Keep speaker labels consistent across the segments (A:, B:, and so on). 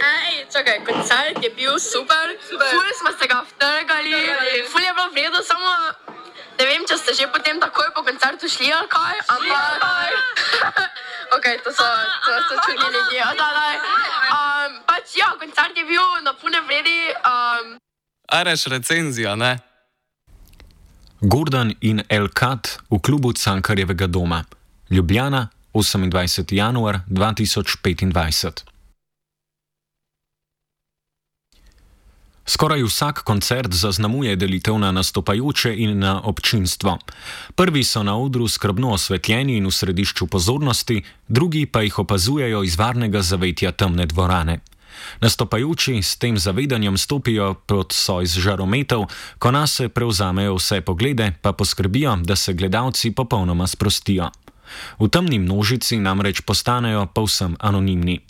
A: Ej, čakaj, koncert je bil super. Ful smo se ga vtrgali, ful je bilo vredo, samo ne vem, če ste že potem takoj po koncertu šli ali kaj, ampak... Ok, to so čudni ljudje. Pač ja, koncert je bil na pune vredi.
B: Areš recenzija, ne?
C: Gordon in El Kat v klubu Cankarjevega doma. Ljubljana, 28. januar 2025. Skoraj vsak koncert zaznamuje delitev na nastopajoče in na občinstvo. Prvi so na odru skrbno osvetljeni in v središču pozornosti, drugi pa jih opazujejo iz varnega zavetja temne dvorane. Nastopajoči s tem zavedanjem stopijo pod soj z žarometov, ko nase prevzamejo vse poglede, pa poskrbijo, da se gledalci popolnoma sprostijo. V temni množici namreč postanejo povsem anonimni.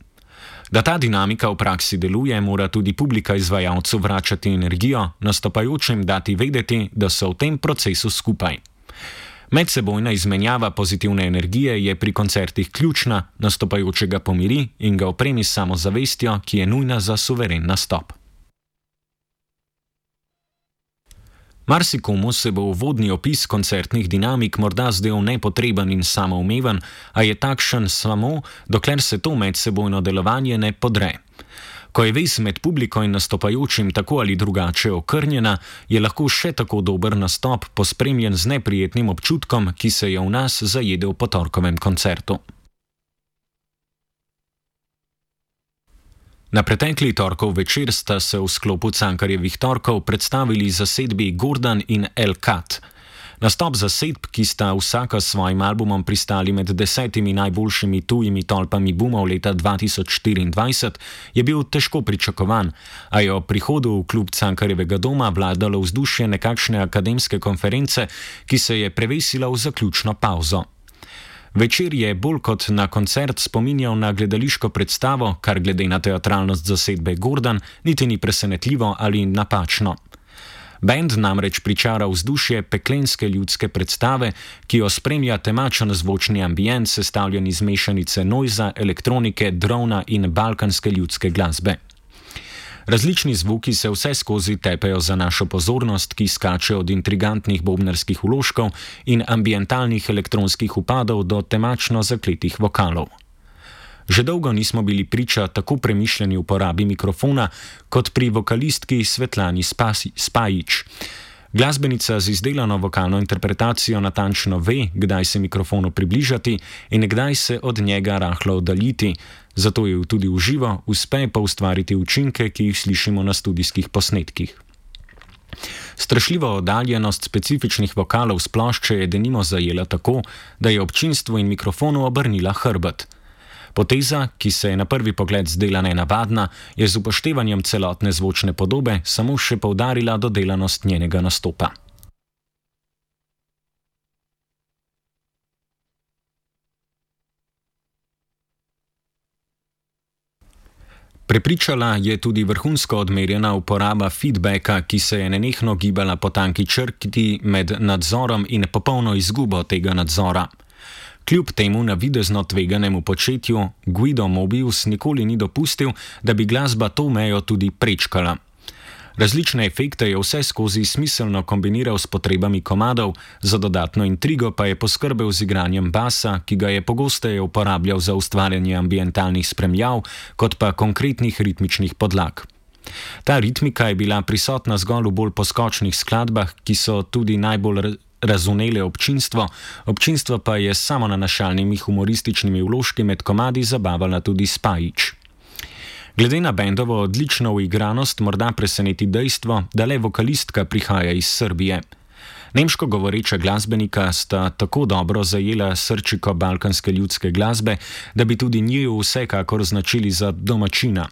C: Da ta dinamika v praksi deluje, mora tudi publika izvajalcu vračati energijo, nastopajočim dati vedeti, da so v tem procesu skupaj. Medsebojna izmenjava pozitivne energije je pri koncertih ključna, nastopajočega pomiri in ga opremi s samozavestjo, ki je nujna za suveren nastop. Marsikomu se bo uvodni opis koncertnih dinamik morda zdel nepotreben in samoumeven, a je takšen samo, dokler se to medsebojno delovanje ne podre. Ko je vez med publiko in nastopajočim tako ali drugače okrnjena, je lahko še tako dober nastop pospremljen z neprijetnim občutkom, ki se je v nas zajedel po torkovem koncertu. Na pretekli torkov večer sta se v sklopu Cankarjevih torkov predstavili zasedbi Gordon in El Kat. Nastop zasedb, ki sta vsaka s svojim albumom pristali med 10 najboljšimi tujimi tolpami boomov leta 2024, je bil težko pričakovan, a je ob prihodu v klub Cankarjevega doma vladalo vzdušje nekakšne akademske konference, ki se je prevesila v zaključno pavzo. Večer je bolj kot na koncert spominjal na gledališko predstavo, kar glede na teatralnost zasedbe Gordon niti ni presenetljivo ali napačno. Band namreč pričara vzdušje peklenske ljudske predstave, ki jo spremlja temačen zvočni ambient, sestavljen iz mešanice noiza, elektronike, drona in balkanske ljudske glasbe. Različni zvuki se vse skozi tepejo za našo pozornost, ki skače od intrigantnih bobnarskih vložkov in ambientalnih elektronskih upadov do temačno zakletih vokalov. Že dolgo nismo bili priča tako premišljeni uporabi mikrofona kot pri vokalistki Svetlani Spajić. Glasbenica z izdelano vokalno interpretacijo natančno ve, kdaj se mikrofonu približati in kdaj se od njega rahlo oddaljiti, zato jo tudi v živo uspe pa ustvariti učinke, ki jih slišimo na studijskih posnetkih. Strašljivo oddaljenost specifičnih vokalov s plošče je denimo zajela tako, da je občinstvu in mikrofonu obrnila hrbet. Poteza, ki se je na prvi pogled zdela nenavadna, je z upoštevanjem celotne zvočne podobe samo še poudarila dodelanost njenega nastopa. Prepričala je tudi vrhunsko odmerjena uporaba feedbacka, ki se je nenehno gibala po tanki črti med nadzorom in popolno izgubo tega nadzora. Kljub temu navidezno tveganemu početju Guido Mobius nikoli ni dopustil, da bi glasba to mejo tudi prečkala. Različne efekte je vse skozi smiselno kombiniral s potrebami komadov, za dodatno intrigo pa je poskrbel z igranjem basa, ki ga je pogosteje uporabljal za ustvarjanje ambientalnih spremljav, kot pa konkretnih ritmičnih podlag. Ta ritmika je bila prisotna zgolj v bolj poskočnih skladbah, ki so tudi najbolj razumele občinstvo pa je samo nanašalnimi humorističnimi vložki med komadi zabavala tudi Spajić. Glede na bendovo odlično uigranost morda preseneti dejstvo, da le vokalistka prihaja iz Srbije. Nemško govoreča glasbenika sta tako dobro zajela srčiko balkanske ljudske glasbe, da bi tudi njiju vsekakor označili za domačina.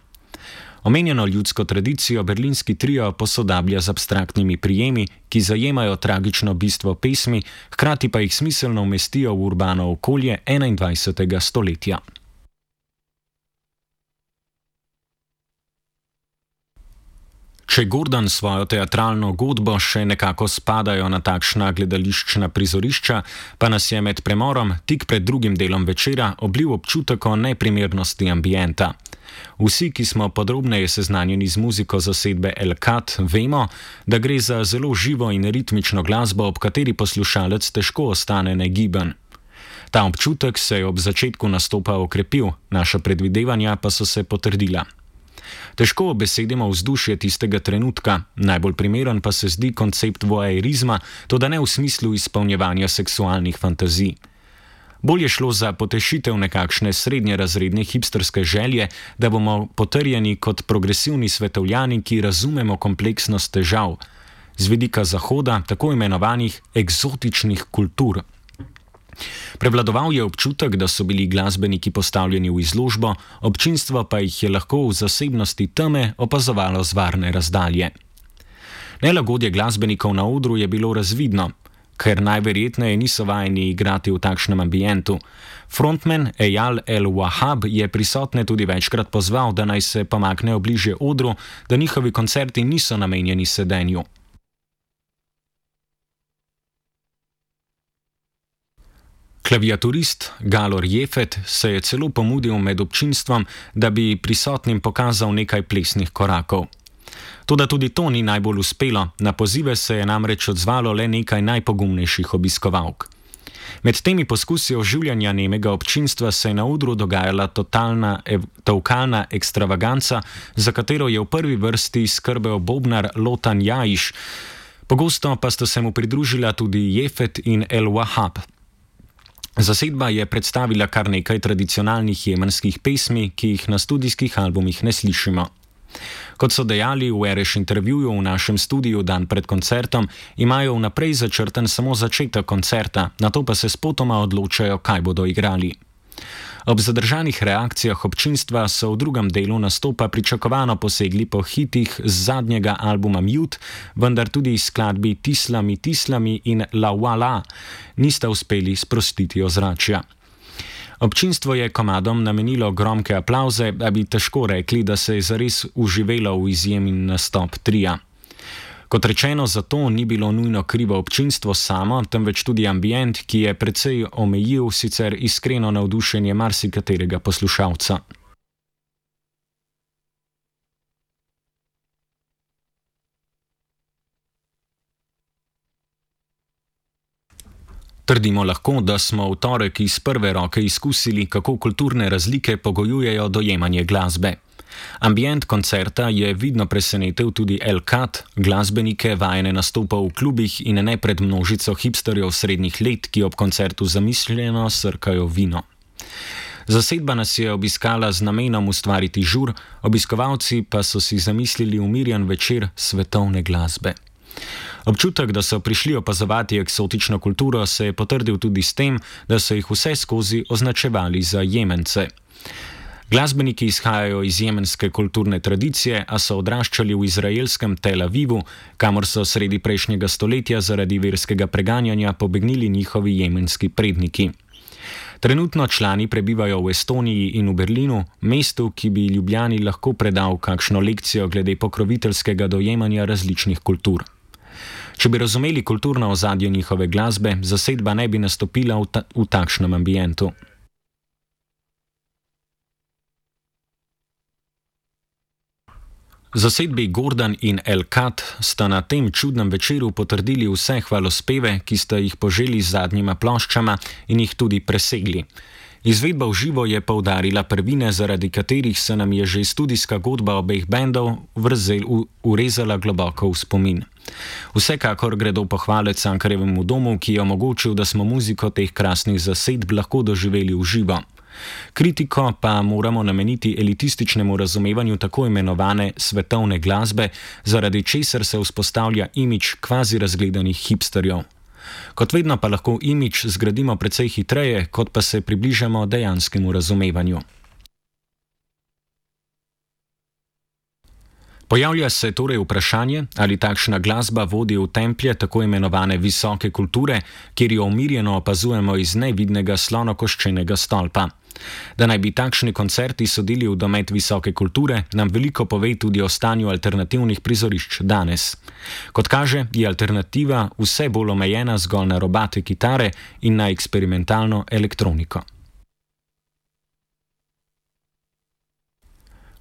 C: Omenjeno ljudsko tradicijo berlinski trio posodablja z abstraktnimi prijemi, ki zajemajo tragično bistvo pesmi, hkrati pa jih smiselno umestijo v urbano okolje 21. stoletja. Če Gordon svojo teatralno godbo še nekako spadajo na takšna gledališčna prizorišča, pa nas je med premorom tik pred drugim delom večera oblil občutek o neprimernosti ambienta. Vsi, ki smo podrobneje seznanjeni z muziko zasedbe El-Kat, vemo, da gre za zelo živo in ritmično glasbo, ob kateri poslušalec težko ostane negiben. Ta občutek se je ob začetku nastopa okrepil, naša predvidevanja pa so se potrdila. Težko obesedimo vzdušje tistega trenutka, najbolj primeren pa se zdi koncept voajerizma, toda ne v smislu izpolnjevanja seksualnih fantazij. Bolj je šlo za potešitev nekakšne srednjerazredne hipsterske želje, da bomo potrjeni kot progresivni svetovljani, ki razumemo kompleksnost težav, z vidika Zahoda tako imenovanih eksotičnih kultur. Prevladoval je občutek, da so bili glasbeniki postavljeni v izložbo, občinstvo pa jih je lahko v zasebnosti teme opazovalo z varne razdalje. Nelagodje glasbenikov na odru je bilo razvidno, ker najverjetneje niso vajeni igrati v takšnem ambientu. Frontman Eyal El-Wahab je prisotne tudi večkrat pozval, da naj se pomaknejo bližje odru, da njihovi koncerti niso namenjeni sedenju. Klaviaturist Galor Jefet se je celo pomudil med občinstvom, da bi prisotnim pokazal nekaj plesnih korakov. Toda tudi to ni najbolj uspelo, na pozive se je namreč odzvalo le nekaj najpogumnejših obiskovalk. Med temi poskusi oživljanja nemega občinstva se je na odru dogajala totalna tolkalna ekstravaganca, za katero je v prvi vrsti skrbel bobnar Lotan Jajiš, pogosto pa sta se mu pridružila tudi Jefet in El-Wahab. Zasedba je predstavila kar nekaj tradicionalnih jemenskih pesmi, ki jih na studijskih albumih ne slišimo. Kot so dejali v Ereš intervjuju v našem studiu dan pred koncertom, imajo vnaprej začrten samo začetek koncerta, nato pa se spotoma odločajo, kaj bodo igrali. Ob zadržanih reakcijah občinstva so v drugem delu nastopa pričakovano posegli po hitih z zadnjega albuma Mute, vendar tudi skladbi Tislami, Tislami in La Wala nista uspeli sprostiti ozračja. Občinstvo je komadom namenilo gromke aplavze, da bi težko rekli, da se je zares uživelo v izjemen nastop tria. Kot rečeno, zato ni bilo nujno krivo občinstvo samo, temveč tudi ambient, ki je precej omejil sicer iskreno navdušenje marsikaterega poslušalca. Trdimo lahko, da smo v torek iz prve roke izkusili, kako kulturne razlike pogojujejo dojemanje glasbe. Ambient koncerta je vidno presenetil tudi El-Kat, glasbenike vajene nastopov v klubih in ne pred množico hipsterjev srednjih let, ki ob koncertu zamišljeno srkajo vino. Zasedba nas je obiskala z namenom ustvariti žur, obiskovalci pa so si zamislili umirjen večer svetovne glasbe. Občutek, da so prišli opazovati eksotično kulturo, se je potrdil tudi s tem, da so jih vse skozi označevali za Jemence. Glasbeniki izhajajo iz jemenske kulturne tradicije, a so odraščali v izraelskem Tel Avivu, kamor so sredi prejšnjega stoletja zaradi verskega preganjanja pobegnili njihovi jemenski predniki. Trenutno člani prebivajo v Estoniji in v Berlinu, mestu, ki bi Ljubljani lahko predal kakšno lekcijo glede pokroviteljskega dojemanja različnih kultur. Če bi razumeli kulturno ozadje njihove glasbe, zasedba ne bi nastopila v takšnem ambientu. Zasedbi Gordon in El-Kat sta na tem čudnem večeru potrdili vse hvalospeve, ki sta jih poželi z zadnjima ploščama in jih tudi presegli. Izvedba v živo je poudarila prvine, zaradi katerih se nam je že studijska godba obeh bendov urezala globoko v spomin. Vsekakor gredo pohvale Cankarjevemu domu, ki je omogočil, da smo muziko teh krasnih zasedb lahko doživeli v živo. Kritiko pa moramo nameniti elitističnemu razumevanju tako imenovane svetovne glasbe, zaradi česar se vzpostavlja imidž kvazi razgledanih hipsterjev. Kot vedno pa lahko imidž zgradimo precej hitreje, kot pa se približamo dejanskemu razumevanju. Pojavlja se torej vprašanje, ali takšna glasba vodi v templje tako imenovane visoke kulture, kjer jo umirjeno opazujemo iz nevidnega slonokoščenega stolpa. Da naj bi takšni koncerti sodili v domet visoke kulture, nam veliko pove tudi o stanju alternativnih prizorišč danes. Kot kaže, je alternativa vse bolj omejena zgolj na robate kitare in na eksperimentalno elektroniko.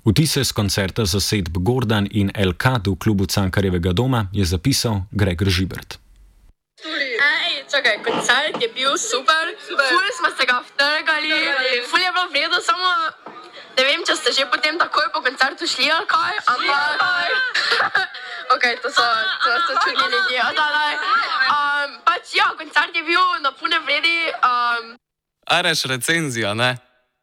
C: Vtise z koncerta zasedb Gordan in El-Kad v klubu Cankarjevega doma je zapisal Gregor Žibert.
A: Čakaj, koncert je bil super. Ful smo se ga vtrgali, ful je bilo v redu, samo ne vem, če ste že potem takoj po koncertu šli ali kaj, ampak ok, to so čudni ljudje. Pač ja, koncert je bil na pune vredi.
B: Areš recenzija, ne?